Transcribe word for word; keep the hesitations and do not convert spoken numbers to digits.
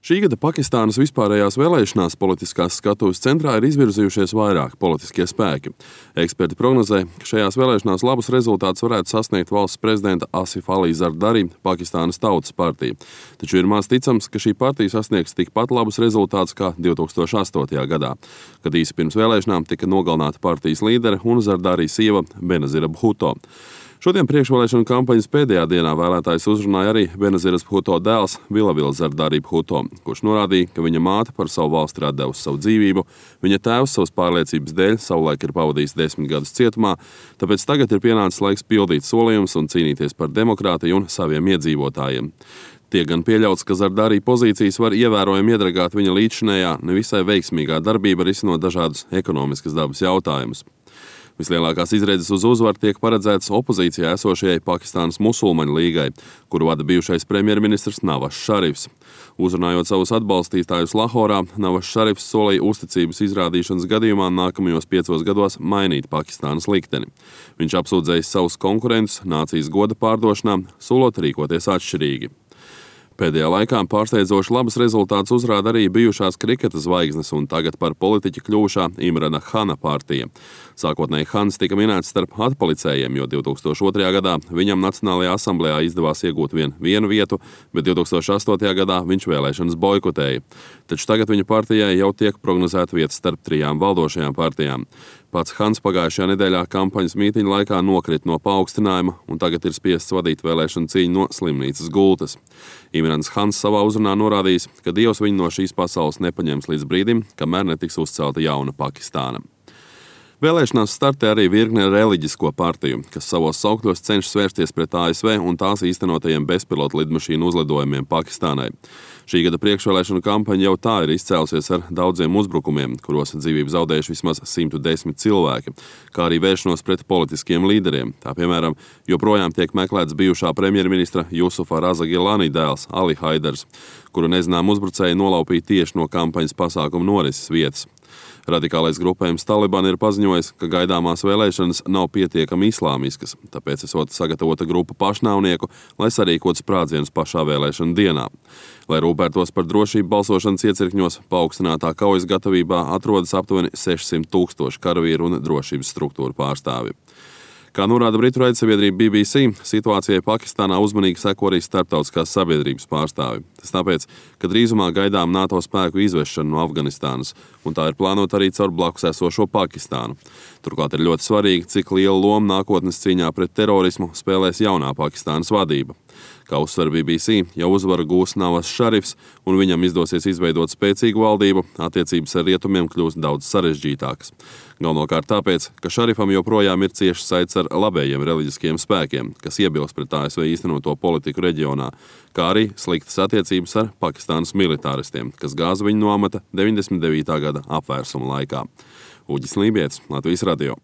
Šī gada Pakistānas vispārējās vēlēšanās politiskās skatuves centrā ir izvirzījušies vairāki politiskie spēki. Eksperti prognozē, ka šajās vēlēšanās labus rezultātus varētu sasniegt valsts prezidenta Asif Ali Zardari Pakistānas Tautas partija. Taču ir maz ticams, ka šī partija sasniegs tikpat labus rezultātus kā divi tūkstoši astotajā gadā, kad īsi pirms vēlēšanām tika nogalināta partijas līdere un Zardari sieva Benazira Bhutto. Šodien priekšvēlēšanu kampaņas pēdējā dienā vēlētājs uzrunāja arī Benaziras Bhutto dēls Vilavila Zardari Bhutto, kurš norādīja, ka viņa māte par savu valsti ir atdevusi savu dzīvību, viņa tēvs savas pārliecības dēļ savulaik ir pavadījis desmit gadus cietumā, tāpēc tagad ir pienācis laiks pildīt solījumus un cīnīties par demokrātiju un saviem iedzīvotājiem. Tiek gan pieļauts, ka Zardari pozīcijas var ievērojami iedragāt viņa līdzinējā nevisai veiksmīgā darbība risinot dažādus ekonomiskas dabas jautājumus. Vislielākās izredzes uz uzvaru tiek paredzētas opozīcijā esošajai Pakistānas musulmaņu līgai, kuru vada bijušais premjerministrs Nawaz Šarifs. Uzrunājot savus atbalstītājus Lahorā, Nawaz Šarifs solīja uzticības izrādīšanas gadījumā nākamajos piecos gados mainīt Pakistānas likteni. Viņš apsūdzējis savus konkurentus nācijas goda pārdošanā, solot rīkoties atšķirīgi. Pēdējā laikā pārsteidzoši labus rezultātus uzrāda arī bijušās kriketa zvaigznes un tagad par politiķi kļuvušā Imrana Hana partija. Sākotnēji Hans tika minēts starp atpalicējiem, jo divi tūkstoši otrajā gadā viņam Nacionālajā asamblējā izdevās iegūt vien vienu vietu, bet divi tūkstoši astotajā gadā viņš vēlēšanas boikotēja. Taču tagad viņa partijai jau tiek prognozēta vieta starp trijām valdošajām partijām. Pats Hans pagājušajā nedēļā kampaņas mītiņa laikā nokrita no paaugstinājuma un tagad ir spiests vadīt vēlēšanu cīņu no slimnīcas gultas. Imrans Hans savā uzrunā norādījis, ka Dievs viņu no šīs pasaules nepaņems līdz brīdim, kamēr netiks uzcelta jauna Pakistāna. Vēlēšanās startē arī virkne reliģisko partiju, kas savos saukļos cenšas vērsties pret A S V un tās īstenotajiem bezpilotu lidmašīnu uzlidojumiem Pakistānai. Šī gada priekšvēlēšanu kampaņa jau tā ir izcēlusies ar daudziem uzbrukumiem, kuros dzīvību zaudējuši vismaz simt desmit cilvēki, kā arī vēršanos pret politiskiem līderiem. Tā piemēram, joprojām tiek meklēts bijušā premjerministra Jusufa Raza Gilani dēls Ali Haidars, kuru nezinām uzbrucēji nolaupīja tieši no kampaņas pasākuma norises vietas. Radikālais grupējums Taliban ir paziņojis, ka gaidāmās vēlēšanas nav pietiekami islāmiskas, tāpēc esot sagatavota grupa pašnāvnieku, lai sarīkotu sprādzienus pašā vēlēšana dienā. Lai rūpētos par drošību balsošanas iecirkņos, paaugstinātā kaujas gatavībā atrodas aptuveni sešsimt tūkstoši karavīru un drošības struktūru pārstāvji. Kā norāda britu raidsabiedrība B B C, situācijai Pakistānā uzmanīgi seko arī starptautiskās sabiedrības pārstāvji. Tas tāpēc, ka drīzumā gaidām NATO spēku izvešanu no Afganistānas, un tā ir plānota arī caur blakus esošo Pakistānu. Turklāt ir ļoti svarīgi, cik lielu lomu nākotnes cīņā pret terorismu spēlēs jaunā Pakistānas vadība. Kā uzsver B B C, ja uzvaru gūs Nawaz Šarifs un viņam izdosies izveidot spēcīgu valdību, attiecības ar rietumiem kļūs daudz sarežģītākas. Galvenokārt tāpēc, ka Šarifam joprojām ir cieši saites ar labējiem reliģiskiem spēkiem, kas iebilst pret A S V īstenoto politiku reģionā, kā arī sliktas attiecības ar Pakistānas militāristiem, kas gāza viņu no amata deviņdesmit devītā gada apvērsuma laikā. Uģis Lībietis, Latvijas radio.